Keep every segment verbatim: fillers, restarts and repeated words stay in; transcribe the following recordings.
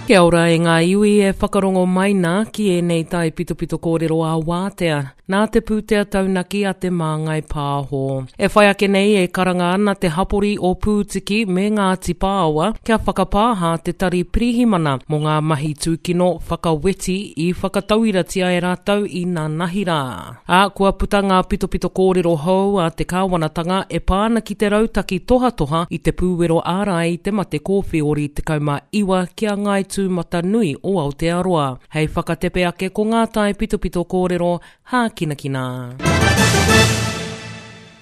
Kia ora e ngā iwi e whakarongo mai nā ki ēnei taipitopito kōrero a wātea, nā te pūtea taunaki a te Māngai Pāho. E whai ake nei e karanga ana te hapori o Pūtiki me Ngāti Pāoa kia whakapāha te tari pirihimana mō ngā mahi tūkino whakaweti i whakatauiratia e rātou i nanahi rā. Ā, kua puta ngā pitopito kōrero hou a te kāwanatanga e pā ana ki te rautaki tohatoha i te pūwero ārai i te mate kōwheori tekau mā iwa ki a Ngāi Tūmatanui o Aotearoa. Hei whakatepe ake ko ngā taipitopito kōrero hākinakina.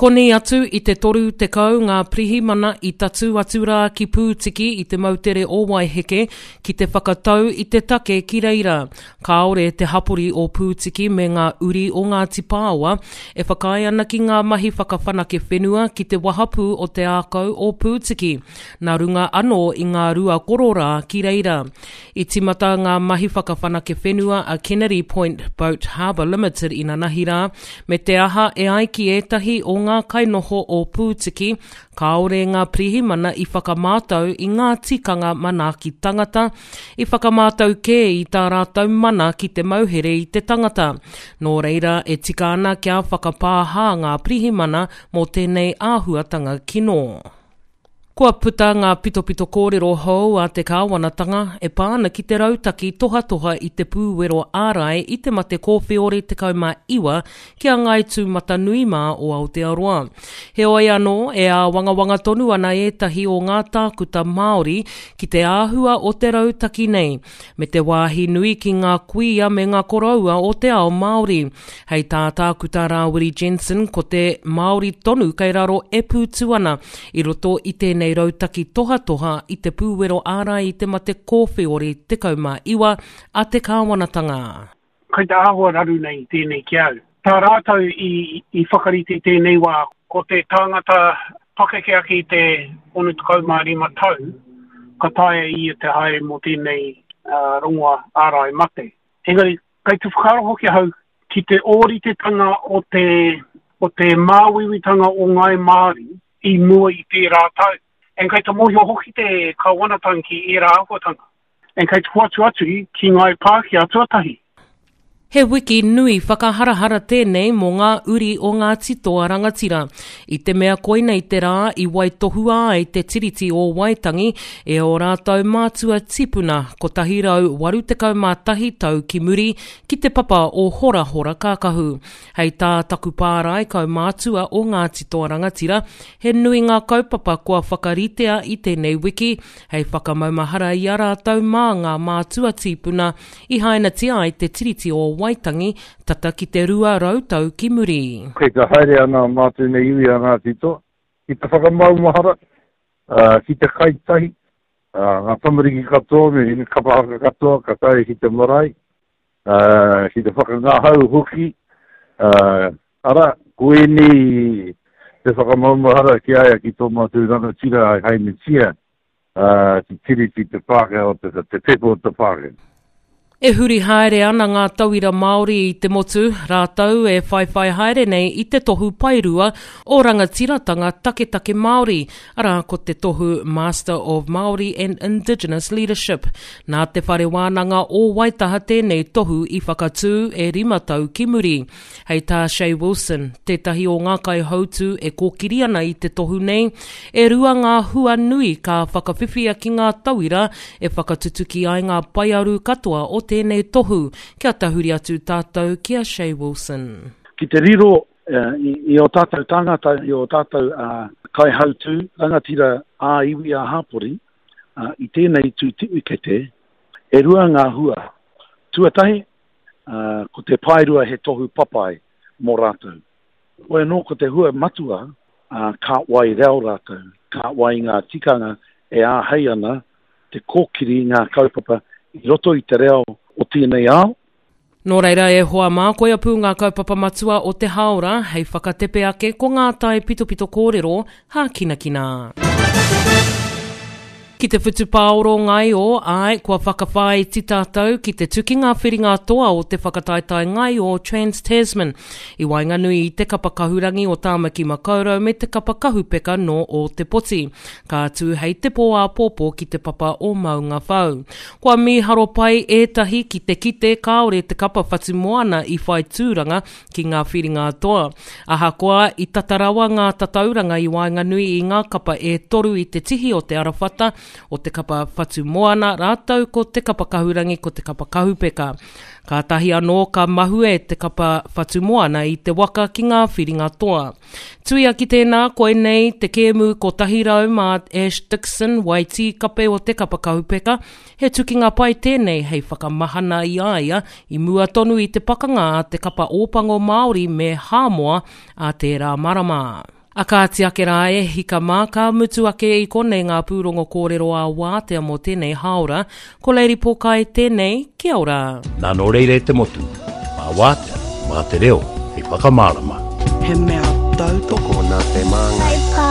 Koni atu i te toru tekau ngā pirihimana i tatū atu rā ki Pūtiki i te moutere o Waiheke ki te whakatau i te take ki reira. Kāore te hapori o Pūtiki me ngā uri o Ngāti Pāoa e whakaae ana ki ngā mahi whakawhanake whenua ki te wahapū o te ākau o Pūtiki, nā runga anō i ngā rua kororā ki reira. I tīmata ngā mahi whakawhanake whenua a Kennedy Point Boat Harbour Limited inanahi rā, me te aha e ai ki ētahi o ngā kainoho o Pūtiki, kāore ngā pirihimana i whakamātau i ngā tikanga manaaki tangata, i whakamātau kē i tā rātou mana ki te mauhere i te tangata. Nō reira, e tika ana kia whakapāha ngā pirihimana mō tēnei āhuatanga kino. Kua puta ngā pitopito kōrero hou a te kāwanatanga e pā ana ki te rautaki tohatoha i te pūwero ārai i te mate kōwheori tekau mā iwa ki a Ngāi Tūmatanui mā o Aotearoa. Heoi anō, e āwangawanga tonu ana ētahi o ngā tākuta Māori ki te āhua o te rautaki nei, me te wāhi nui ki ngā kuia me ngā koroua o te ao Māori. Hei tā Tākuta Rāwiri Jensen, ko te Māori tonu kei raro e pūtu ana i roto i tēnei rautaki tohatoha i te pūwero ārai i te mate kōwheori tekau mā iwa a te kāwanatanga. Kei te āhua raru nei tēnei ki au. Tā rātou i, i whakarite tēnei wā, ko te tāngata pakeke ake i te ono tekau mā rima tau, ka taea ia te haere mō tēnei uh, rongoa ārai mate. Engari, kei te whakaaro hoki ahau ki te ōritetanga o te, o te māuiuitanga o Ngāi Māori i mua i tērā tau. And kei te mōhio hoki te kāwanatanga ki ērā āhuatanga. And kei te hoatu atu ki Ngāi Pākehā tuatahi. He wiki nui whakaharahara tēnei mō ngā uri o Ngāti Toa Rangatira, i te mea koinei te rā i waitohua ai te Tiriti o Waitangi e ō rātou mātua tipuna kotahi rau waru tekau mā tahi tau ki muri ki te papa o Horahora Kākahu. Hei tā taku pārae kaumātua o Ngāti Toa Rangatira, he nui ngā kaupapa kua whakaritea i tēnei wiki hei whakamaumahara i a rātou mā ngā mātua tīpuna i hainatia ai te Tiriti o Waitangi tata ki te rua rau tau ki muri. Kei te haere ana mātou nei iwi a Ngāti Toa ki te whakamaumahara, ki te kai tahi, ngā tamariki katoa me ngā kapa haka katoa ka tae ki te marae, ki te whakangahau hoki, arā, ko ēnei te whakamaumahara ki a ia ki tō mātou rangatira ai hainatia te Tiriti te Pākehā o te, te pepa o te Pākehā. E huri haere ana ngā tauira Māori i te motu, rātou e whaiwhai haere nei i te tohu paerua o rangatiratanga taketake Māori, arā ko te tohu Master of Māori and Indigenous Leadership. Nā Te Whare Wānanga o Waitaha tēnei tohu i whakatū e rima tau ki muri. Hei tā Shay Wilson, tētahi o ngā kaihautū e kōkiri ana i te tohu nei, e rua ngā hua nui ka whakawhiwhia ki ngā tauira e whakatutuki ai ngā paearu katoa o tēnei tohu. Kia tahuri atu tātou ki a Shay Wilson. Ki te riro i ō tātou tāngata, i ō tātou kaihautū, rangatira ā-iwi, ā-hapori, i tēnei tū tiwikete, e rua ngā hua. Tuatahi, ko te paerua he tohu papai mō rātou. Hoi anō ko te hua matua, ka wai reo rātou, ka wai ngā tikanga e āhei ana te kōkiri ngā kaupapa i roto i te reo o tēnei ao. Nō reira e hoa mā, koia pū ngā kaupapa matua o te hāora hei whakatepe ake ko ngā taipitopito kōrero hākinakina. Ki te whutupaoro ngaio, āe, kua whakawhāiti tātou ki te tukinga whiringa toa o te whakataetae ngaio Trans-Tasman i waenganui i te kapa kahurangi o Tāmaki Makaurau me te kapa kahupeka nō Ōtepoti. Ka tū hei te pō āpōpō ki te papa o Maungawhau. Kua mīharo pai ētahi ki te kite kāore te kapa Whatumoana i whai tūranga ki ngā whiringa toa. Ahakoa i tata rawa ngā tatauranga i waenganui i ngā kapa e toru i te tihi o te arawhata o te kapa Whatumoana rātou ko te kapa kahurangi ko te kapa kahupeka. Kātahi anō ka mahue te kapa Whatumoana i te waka ki ngā whiringa toa. Tuia ki tēnā, koinei te kēmu kotahi rau mā Ash Dixon, Waitī kape o te kapa kahupeka, he tukinga pai tēnei hei whakamahana i a ia i mua tonu i te pakanga a te kapa Ōpango Māori me Hāmoa a tērā marama. A kāti ake rā e hika mā, ka mutu ake i konei ngā pūrongo kōrero ā wātea mō tēnei hāora. Ko Lady Pōkai tēnei, kia ora. Nā nō reira e te motu, mā wātea, mā te reo, hei whakamārama. He mea tautoko nā te māngai.